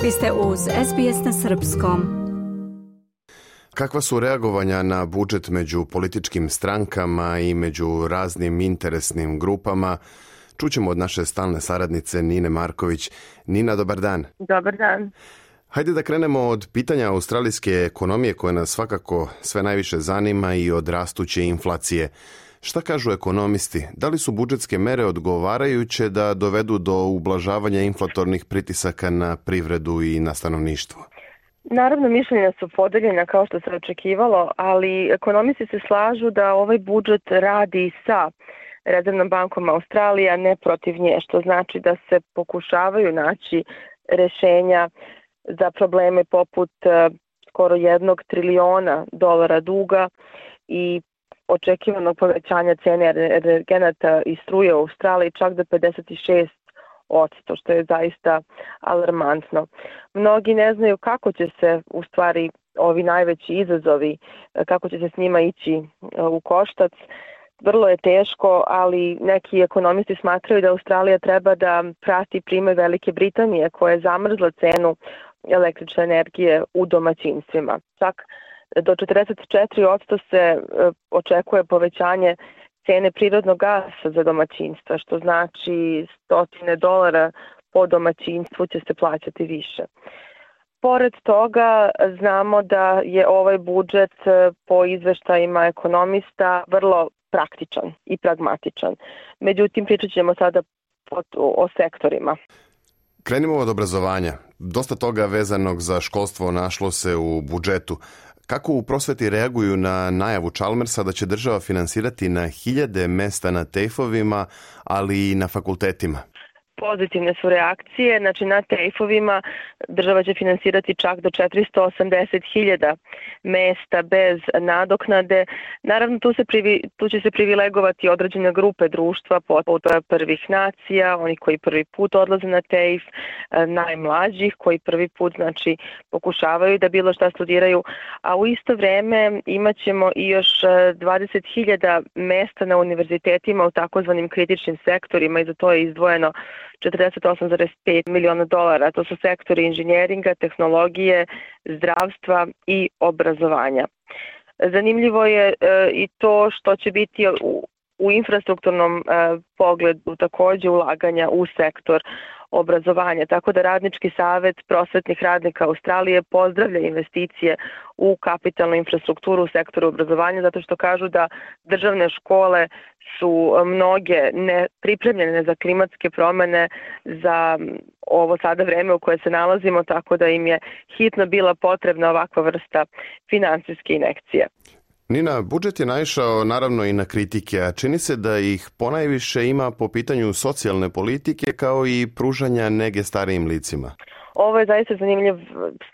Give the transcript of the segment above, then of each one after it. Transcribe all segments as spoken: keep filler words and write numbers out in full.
Vi ste uz es be es na srpskom. Kakva su reagovanja na budžet među političkim strankama i među raznim interesnim grupama? Čućemo od naše stalne saradnice Nine Marković. Nina, dobar dan. Dobar dan. Hajde da krenemo od pitanja australijske ekonomije koje nas svakako sve najviše zanima i od rastuće inflacije. Šta kažu ekonomisti? Da li su budžetske mere odgovarajuće da dovedu do ublažavanja inflatornih pritisaka na privredu i na stanovništvo? Naravno, mišljenja su podeljena kao što se očekivalo, ali ekonomisti se slažu da ovaj budžet radi sa Rezervnom bankom Australije, a ne protiv nje, što znači da se pokušavaju naći rešenja za probleme poput skoro jednog triliona dolara duga i očekivanog povećanja cene energenata i struje u Australiji čak do pedeset šest posto, što je zaista alarmantno. Mnogi ne znaju kako će se u stvari ovi najveći izazovi, kako će se s njima ići u koštac. Vrlo je teško, ali neki ekonomisti smatraju da Australija treba da prati primer Velike Britanije koja je zamrzla cenu električne energije u domaćinstvima. Čak do četrdeset četiri posto se očekuje povećanje cene prirodnog gasa za domaćinstva, što znači stotine dolara po domaćinstvu će se plaćati više. Pored toga znamo da je ovaj budžet po izveštajima ekonomista vrlo praktičan i pragmatičan. Međutim, pričat ćemo sada o sektorima. Krenimo od obrazovanja. Dosta toga vezanog za školstvo našlo se u budžetu. Kako u prosveti reaguju na najavu Chalmersa da će država finansirati na hiljade mesta na tejfovima, ali i na fakultetima? Pozitivne su reakcije, znači na tejfovima država će finansirati čak do četiristo osamdeset hiljada mesta bez nadoknade. Naravno, tu, se privi, tu će se privilegovati određene grupe društva, poput prvih nacija, oni koji prvi put odlaze na tejf, najmlađih koji prvi put znači pokušavaju da bilo šta studiraju, a u isto vreme imat ćemo i još dvadeset hiljada mesta na univerzitetima u takozvanim kritičnim sektorima i za to je izdvojeno četrdeset osam zarez pet miliona dolara. To su sektori inženjeringa, tehnologije, zdravstva i obrazovanja. Zanimljivo je e, i to što će biti u, u infrastrukturnom e, pogledu također ulaganja u sektor obrazovanja, tako da Radnički savet prosvetnih radnika Australije pozdravlja investicije u kapitalnu infrastrukturu u sektoru obrazovanja, zato što kažu da državne škole su mnoge ne pripremljene za klimatske promene, za ovo sada vreme u koje se nalazimo, tako da im je hitno bila potrebna ovakva vrsta finansijske injekcije. Nina, budžet je naišao naravno i na kritike, a čini se da ih ponajviše ima po pitanju socijalne politike kao i pružanja nege starijim licima. Ovo je zaista zanimljiv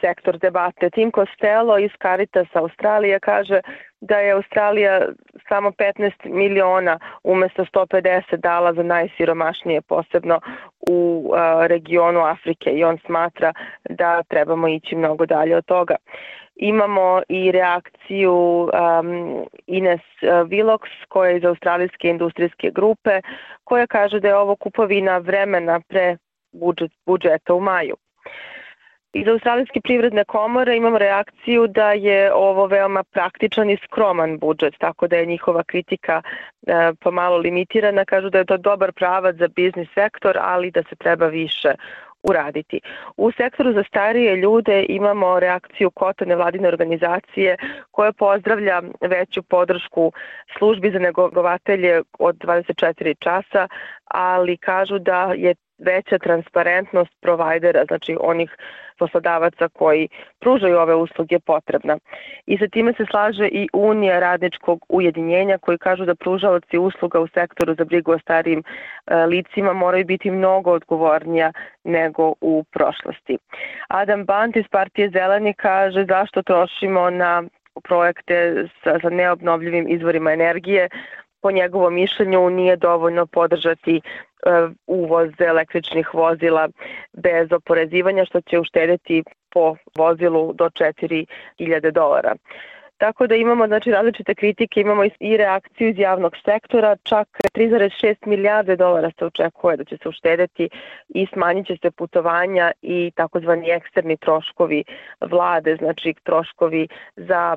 sektor debate. Tim Costello iz Caritas Australije kaže da je Australija samo petnaest miliona umjesto sto pedeset dala za najsiromašnije, posebno u a, regionu Afrike, i on smatra da trebamo ići mnogo dalje od toga. Imamo i reakciju um, Ines Willox, koja je iz Australijske industrijske grupe, koja kaže da je ovo kupovina vremena pre budžet, budžeta u maju. Iz Australijske privredne komore imamo reakciju da je ovo veoma praktičan i skroman budžet, tako da je njihova kritika e, pomalo limitirana. Kažu da je to dobar pravac za biznis sektor, ali da se treba više uraditi. U sektoru za starije ljude imamo reakciju Kota nevladine organizacije koja pozdravlja veću podršku službi za negovatelje od dvadeset četiri časa, ali kažu da je veća transparentnost provajdera, znači onih poslodavaca koji pružaju ove usluge, potrebna. I sa time se slaže i Unija radničkog ujedinjenja, koji kažu da pružaoci usluga u sektoru za brigu o starijim e, licima moraju biti mnogo odgovornija nego u prošlosti. Adam Bant iz Partije Zeleni kaže zašto trošimo na projekte sa, sa neobnovljivim izvorima energije. Po njegovom mišljenju nije dovoljno podržati uvoz električnih vozila bez oporezivanja, što će uštedjeti po vozilu do četiri hiljade dolara. Tako da imamo znači, različite kritike, imamo i reakciju iz javnog sektora, čak tri zarez šest milijarde dolara se očekuje da će se uštedeti i smanjit će se putovanja i takozvani eksterni troškovi vlade, znači troškovi za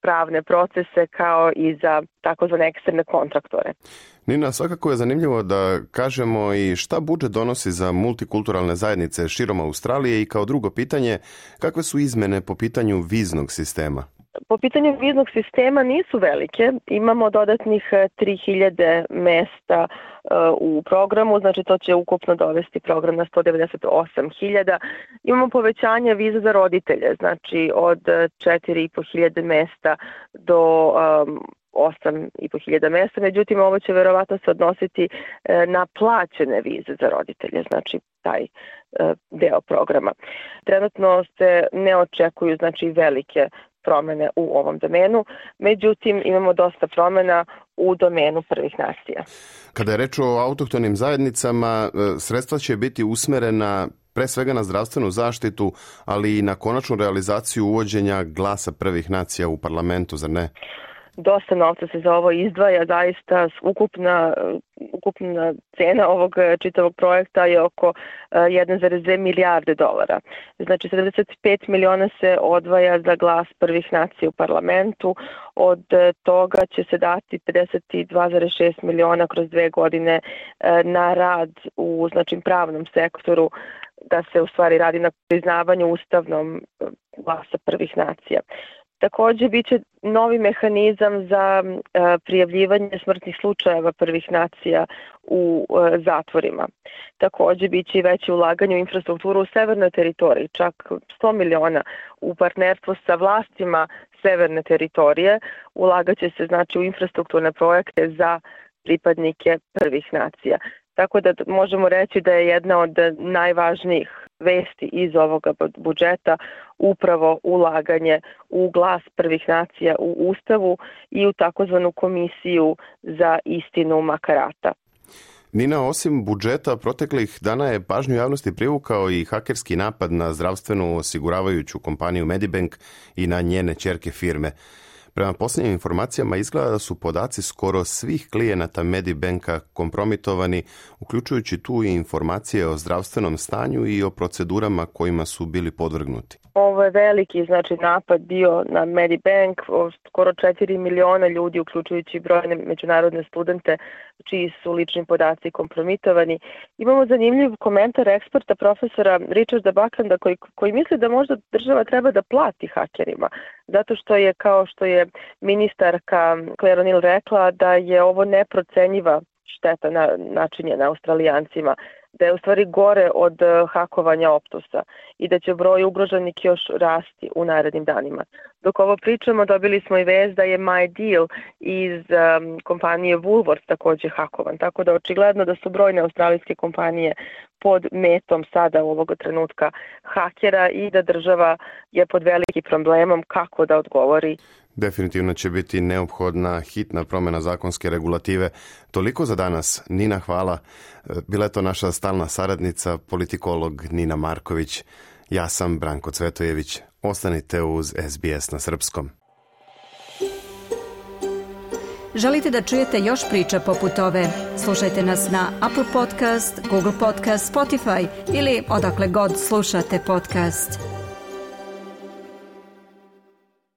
pravne procese kao i za takozvane eksterne kontraktore. Nina, svakako je zanimljivo da kažemo i šta budžet donosi za multikulturalne zajednice širom Australije i kao drugo pitanje, kakve su izmene po pitanju viznog sistema? Po pitanju viznog sistema nisu velike, imamo dodatnih tri hiljade mesta u programu, znači to će ukupno dovesti program na sto devedeset osam hiljada. Imamo povećanje viza za roditelje, znači od četiri i po hiljade mesta do um, osam i po hiljada mesta, međutim ovo će verovatno se odnositi na plaćene vize za roditelje, znači taj deo programa. Trenutno se ne očekuju znači velike promene u ovom domenu, međutim imamo dosta promena u domenu prvih nacija. Kada je reč o autohtonim zajednicama, sredstva će biti usmerena pre svega na zdravstvenu zaštitu, ali i na konačnu realizaciju uvođenja glasa prvih nacija u parlamentu, zar ne? Dosta novca se za ovo izdvaja, zaista ukupna, ukupna cena ovog čitavog projekta je oko jedan zarez dve milijarde dolara. Znači sedamdeset pet miliona se odvaja za glas prvih nacija u parlamentu, od toga će se dati pedeset dva zarez šest miliona kroz dve godine na rad u znači, pravnom sektoru, da se u stvari radi na priznavanju ustavnom glasa prvih nacija. Takođe, bit će novi mehanizam za e, prijavljivanje smrtnih slučajeva prvih nacija u e, zatvorima. Takođe, bit će i veće ulaganje u infrastrukturu u severnoj teritoriji, čak sto miliona u partnerstvu sa vlastima severne teritorije. Ulagaće se znači u infrastrukturne projekte za pripadnike prvih nacija. Tako da možemo reći da je jedna od najvažnijih vesti iz ovoga budžeta upravo ulaganje u glas prvih nacija u Ustavu i u takozvanu komisiju za istinu Makarata. Nina, osim budžeta, proteklih dana je pažnju javnosti privukao i hakerski napad na zdravstvenu osiguravajuću kompaniju Medibank i na njene ćerke firme. Prema posljednjim informacijama izgleda da su podaci skoro svih klijenata Medibanka kompromitovani, uključujući tu i informacije o zdravstvenom stanju i o procedurama kojima su bili podvrgnuti. Ovo je veliki znači, napad bio na Medibank, skoro četiri miliona ljudi, uključujući brojne međunarodne studente, čiji su lični podaci kompromitovani. Imamo zanimljiv komentar eksperta profesora Richarda Bucklanda koji, koji misli da možda država treba da plati hakerima, zato što je, kao što je ministarka Claire O'Neill rekla, da je ovo neprocenjiva šteta na, načinjena Australijancima, da je u stvari gore od hakovanja Optusa i da će broj ugroženih još rasti u narednim danima. Dok ovo pričamo, dobili smo i vest da je MyDeal iz um, kompanije Woolworths također hakovan, tako da očigledno da su brojne australijske kompanije pod metom sada u ovoga trenutka hakera i da država je pod velikim problemom kako da odgovori. Definitivno će biti neophodna hitna promjena zakonske regulative. Toliko za danas. Nina, hvala. Bila je to naša stalna saradnica, politikolog Nina Marković. Ja sam Branko Cvetojević. Ostanite uz S B S na srpskom. Želite da čujete još priča poput ove? Slušajte nas na Apple Podcast, Google Podcast, Spotify ili odakle god slušate podcast.